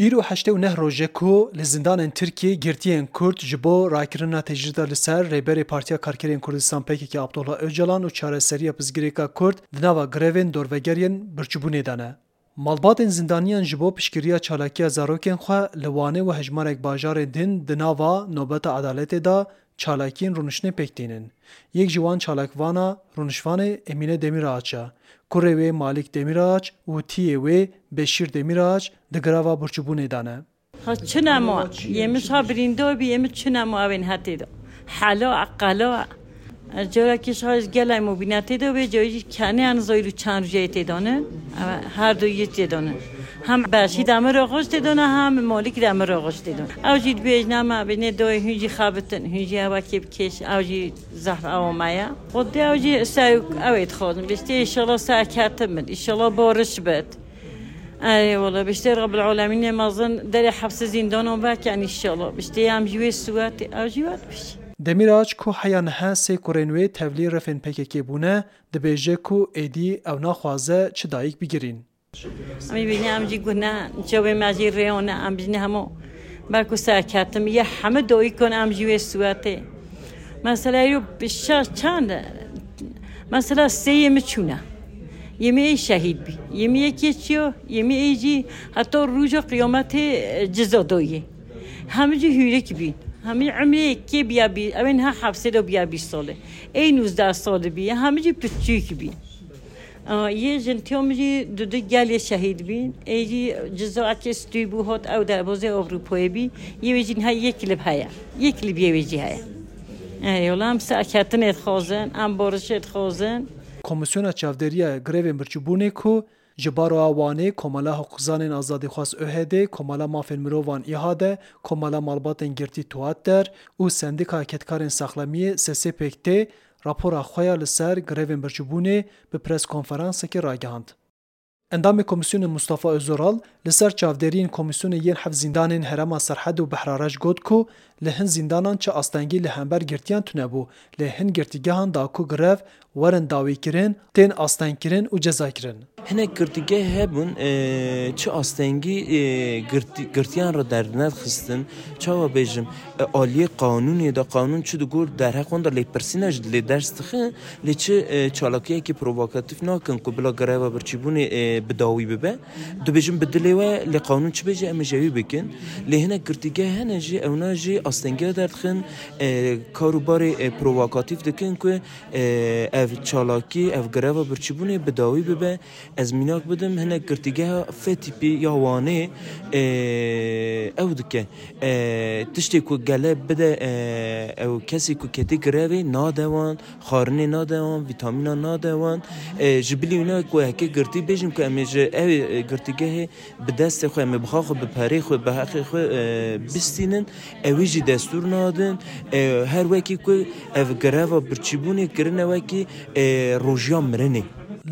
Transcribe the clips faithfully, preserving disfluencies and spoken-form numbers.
Îro heştê û neh roj e ku li zindanên Tirkiyê girtiyên Kurd ji bo rakirina tecrîda li ser Rêberê Partiya Karkerên Kurdistan P K K Abdullah Ocalan û çareseriya pirsgirêka Kurd di nava grevên dorvegeriyên birçîbûnê de ne. Malbatên zindaniyan ji bo piştgiriya çalakiya zarokên xwe li Wanê û hejmarek bajarên din di nava nobeta edaletê de çalakiyên rûniştinê pêk tînin. Yek ji wan çalakvana rûnişvanê Emîne Demîraç e. Kurê wê Malîk Demîraç û tiyê wê Beşîr Demîraç di greva birçîbûnê de ne. Ha çi nema, yê min şa birîndar bî, yê min çi nema ew ên hetê de. Hela, qela. Ez carekî şa ez gelek mobînetê de bê, cayî jî kenê an zayî û çend rojê tê de ne. Ew her du yê tê de ne. Hem Beşî de min re xweş tê de ne, hem Malîk de min re xweş tê de ne. Ew jî dibêjne me, bêjne dayê hûn jî xebitin, hûn jî ew wekê bikêş, ew jî zehf ew me ye. Xwedê ew jî ser ew ê dixwazin. Bêjte, înşallah serketin bin, înşallah bariş bit. Erê wala, biştê Rabbil Alemînê mezin derê hepsê zîndanan vekin înşallah. Biştê em ji wê siwetê, ew jî wet bişî. Demîraç ku heya niha sê kurên wê tevlî refên P K K bûne, dibêje ku êdî ew naxwaze çi dayik bigirîn. Em ê bîne em jî gune, çavê me jî rêyane, em bîne hemû belku serketim, yê hemû dayikon em ji wê siwetê. Mesela yo şa çend e? Mesela sê yê min çûne. Yê min ê şehîd bî. Yê min yekê çiyo, yê min ê jî heta rûja qiyametê, e, ciza doyê. Hemî jî hûrik bîn. Hemî emrê yekê biya bî, ew ên ha hepsê de biya bîst salê. Ê nûzdeh salî bî, hemî jî piçûk bîn. Aa, yê jintiya min jî du du gelê şehîd bîn. Ê jî ciza ekê stûy bû hot ew derbazê Ewropayê bî. Yê wê jî niha yek lib heye. Yek lib yê wê jî heye. Ey, wela em serketinê dixwazin, em barişê dixwazin. Komîsyona Çavdêriya Grevên Birçîbûnê ku ji Baroya Wanê, Komela Hiqûqzanên Azadîxwaz ÖHD, Komela Mafên Mirovan ÎHD, Komela Malbatên Girtî Tuatder û Sendîka Kedkarên Saxlemiyê S S P K T, rapora xwe ya li ser grevên birçîbûnê bi preskonferansekê ragihand. Endamê komîsyonê Mustafa Özoral li ser çavdêriyên komîsyonê yên heft zîndanên herêma Serhed û Behrareş got ku li hin zîndanan çi astengî li hember girtiyan tune bû, lê hin girtîgehan da ku grev werin dawîkirin, tên astengkirin û cezakirin. Hinek girtîgeh hebûn, e, çi astengî, e, girtî-, girtiyan re derdinedixistin. Çawa bêjim, e, aliyê qanûnê de, qanûn çi digot, derheq wan de lêpirsîna jî lê ders dixin, lê çi, e, çalakiyekî provokatîf nakin ku bila greva birçîbûnê, e, bi dawî bibe. Dibêjin bi dilê we, lê qanûn çi bêje, em ê ji wî bikin. Lê hinek girtîgeh hene jî, ewna jî astengiya derdixin, e, kar û barê, e, provokatîf dikin ku, e, ev çalakî, ev greva birçîbûnê bi dawî bibe. Ez mînak bidim, hinek girtîgeha F tîpî ya Wanê, e, ew dike. E, tiştê ku gele bide, e, ew kesê ku ketî grevê nade wan, xwarinê nade wan, vîtamîna nade wan. E, ji bilî wîna ku heke girtî bêjin ku em ê ji ew, e, girtîgehê bi destê xwe, em ê bi xwe, xwe bi perê xwe, bi heqê xwe, e, bistînin, ewî jî destûr nadin. E, her wekî ku ev greva birçîbûnê kirine wekî, e, rojiya mirinê.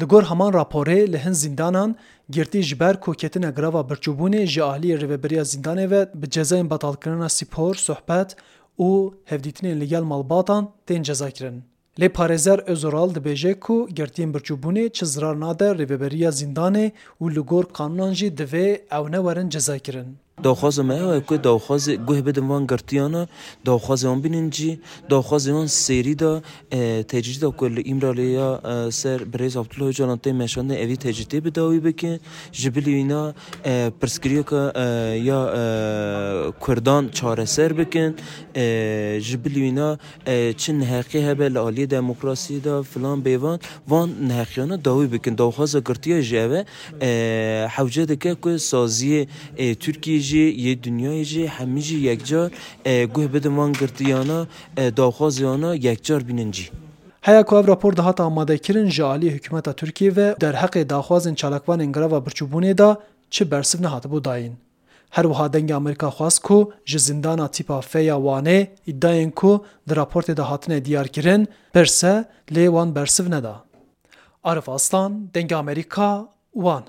Li gor heman raporê, li hin zîndanan girtî ji ber ku ketine greva birçîbûnê ji aliyê rêveberiya zîndanê ve bi cezayên betalkirina spor, sohbet û hevdîtinên li gel malbatan tên cezakirin. Lê parêzer Özoral dibêje ku girtiyên birçîbûnê çi zirar nade rêveberiya zîndanê û li gor qanûnan jî divê ew newerin cezakirin. Daxwaza me ew e ku daxwazê guh bidin van girtiyana, daxwazê wan bînin cî, daxwazê wan sêrî de, e, tecrîda ku li Îmralê ya, e, ser birêz Abdullah Ocalan tê meşandin, evî tecrîdê bi dawî bikin. Ji bilî wîna, e, pirsgirêka, e, ya, e, Kurdan çareser bikin. E, ji bilî wîna, e, çi neheqî hebe li aliyê demokrasiyê de filan bêvan, van neheqiyana dawî bikin. Daxwaza girtiya jî ev e, e, hewce dike ku saziyê, e, Tirkiyê jî, yê dinyayê jî, hemî jî yekcar, e, guh bidin van girtiyana, e, daxwaziyana yekcar bînin cî. Heya ku ev rapor dihate amadekirin, ji aliyê hikûmeta Tirkiyê ve derheqê daxwazên çalakvanên greva birçîbûnê de çi bersiv nehatibû dayîn. Her wiha Dengê Amerîka xwest ku ji zîndana tîpa F ya Wanê îdiayên ku di raportê de hatine diyarkirin, pirse, lê wan bersiv neda. Arif Aslan, Dengê Amerîka, Wan.